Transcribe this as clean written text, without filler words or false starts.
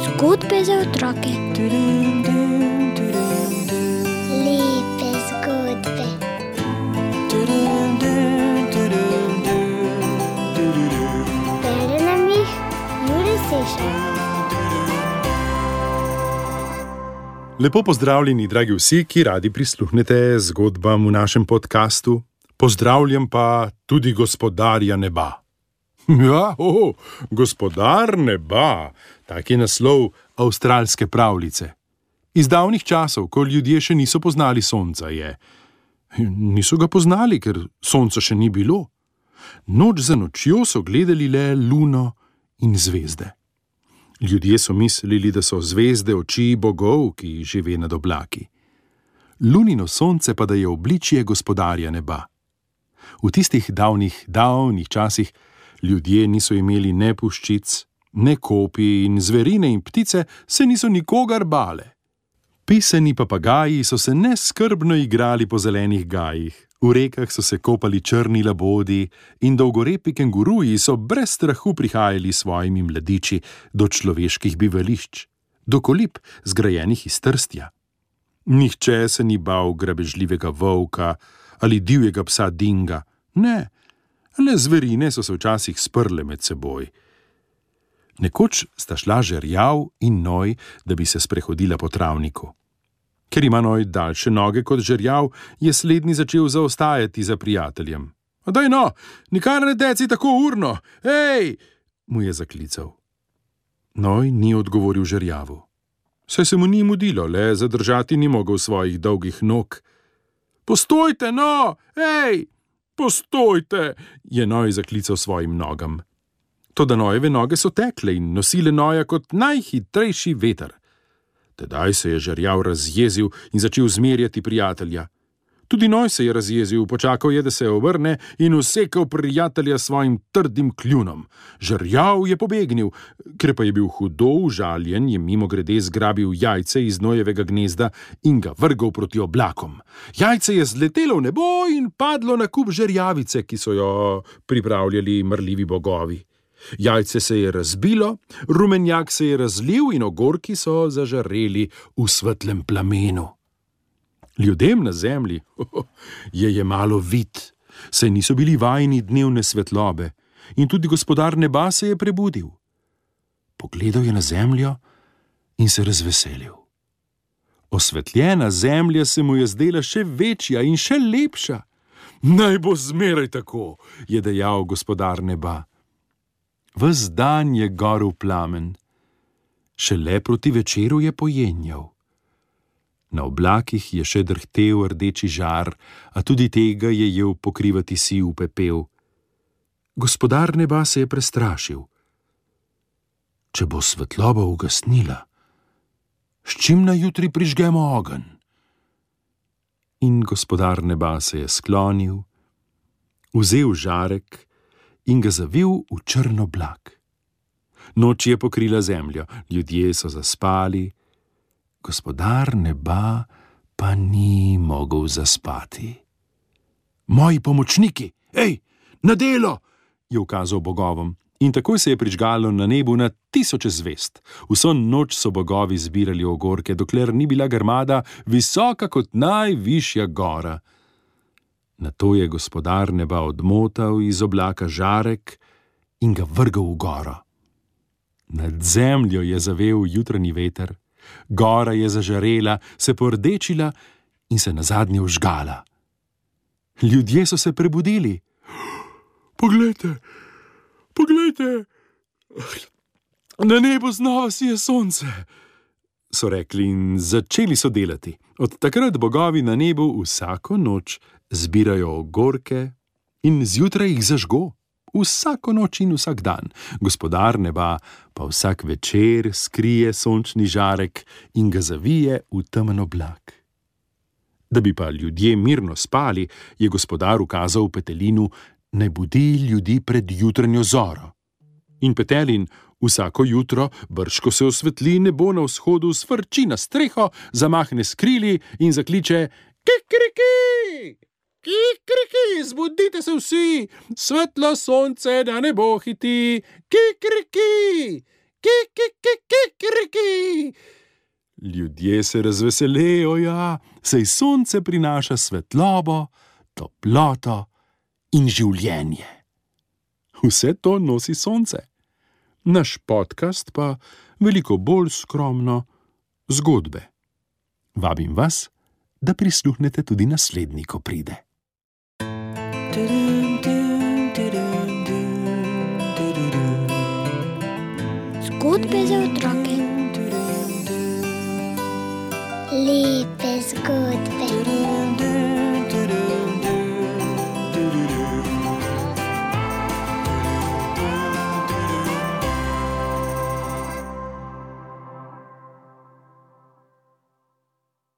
Zgodbe za otroke. Lepe zgodbe. Bere nam jih Jure Sešar. Lepo pozdravljeni, dragi vsi, ki radi prisluhnete zgodbam v našem podkastu. Pozdravljam pa tudi gospodarja neba. Ja, gospodar neba, tak je naslov avstralske pravljice. Iz davnih časov, ko ljudje še niso poznali sonca, je. Niso ga poznali, ker sonca še ni bilo. Noč za nočjo so gledali le luno in zvezde. Ljudje so mislili, da so zvezde oči bogov, ki žive nad oblaki. Lunino sonce pa da je obličje gospodarja neba. V tistih davnih časih ljudje niso imeli ne puščic, ne kopij in zverine in ptice se niso nikogar bale. Pisani papagaji so se neskrbno igrali po zelenih gajih, v rekah so se kopali črni labodi in dolgorepi kenguruji so brez strahu prihajali s svojimi mladiči do človeških bivališč, do kolib zgrajenih iz trstja. Nihče se ni bal grabežljivega volka ali divjega psa dinga, ne, le zverine so se včasih sprle med seboj. Nekoč sta šla žerjav in noj, da bi se sprehodila po travniku. Ker ima noj daljše noge kot žerjav, je slednji začel zaostajati za prijateljem. Daj no, nikar ne deci tako urno, hej, mu je zaklical. Noj ni odgovoril žerjavu. Saj se mu ni mudilo, le zadržati ni mogel svojih dolgih nog. Postojte, no, hej, postojte, je noj zaklical svojim nogam. Toda nojeve noge so tekle in nosile noja kot najhitrejši veter. Tedaj se je žerjav razjezil in začel zmerjati prijatelja. Tudi noj se je razjezil, počakal je, da se obrne in usekal prijatelja svojim trdim kljunom. Žerjav je pobegnil, ker pa je bil hudo užaljen, je mimogrede zgrabil jajce iz nojevega gnezda in ga vrgel proti oblakom. Jajce je zletelo v nebo in padlo na kup žerjavice, ki so jo pripravljali mrljivi bogovi. Jajce se je razbilo, rumenjak se je razlil in ogorki so zažareli v svetlem plamenu. Ljudem na zemlji je jemalo vid, saj niso bili vajeni dnevne svetlobe, in tudi gospodar neba se je prebudil. Pogledal je na zemljo in se razveselil. Osvetljena zemlja se mu je zdela še večja in še lepša. Naj bo zmeraj tako, je dejal gospodar neba. Ves dan je gorel plamen, šele proti večeru je pojenjal. Na oblakih je še drhtel rdeči žar, a tudi tega je jel pokrivati siv pepel. Gospodar neba se je prestrašil. Če bo svetloba ugasnila, s čim na jutri prižgemo ogenj? In gospodar neba se je sklonil, vzel žarek in ga zavil v črn oblak. Noč je pokrila zemljo, ljudje so zaspali, gospodar neba pa ni mogel zaspati. Moji pomočniki, ej, na delo, je ukazal bogovom, in takoj se je prižgalo na nebu na tisoče zvezd. Vso noč so bogovi zbirali ogorke, dokler ni bila grmada visoka kot najvišja gora. Nato je gospodar neba odmotal iz oblaka žarek in ga vrgel v goro. Nad zemljo je zavel jutranji veter, gora je zažarela, se pordečila in se nazadnje vžgala. Ljudje so se prebudili. Poglejte, na nebu znova sije sonce, so rekli in začeli so delati. Od takrat bogovi na nebu vsako noč zbirajo ogorke in zjutraj jih zažgo, vsako noč in vsak dan. Gospodar neba pa vsak večer skrije sončni žarek in ga zavije v temen oblak. Da bi pa ljudje mirno spali, je gospodar ukazal petelinu, naj budi ljudi pred jutranjo zoro. In petelin vsako jutro, brž ko se osvetli nebo na vzhodu, sfrči na streho, zamahne s krili in zakliče kikiriki. Kikriki, zbudite se vsi, svetlo sonce na nebo hiti. Kikriki, kikriki. Ljudje se razveselijo, ja, saj sonce prinaša svetlobo, toploto in življenje. Vse to nosi sonce. Naš podcast pa veliko bolj skromno zgodbe. Vabim vas, da prisluhnete tudi naslednji, ko pride. Zgodbe za otroke. Lepe zgodbe.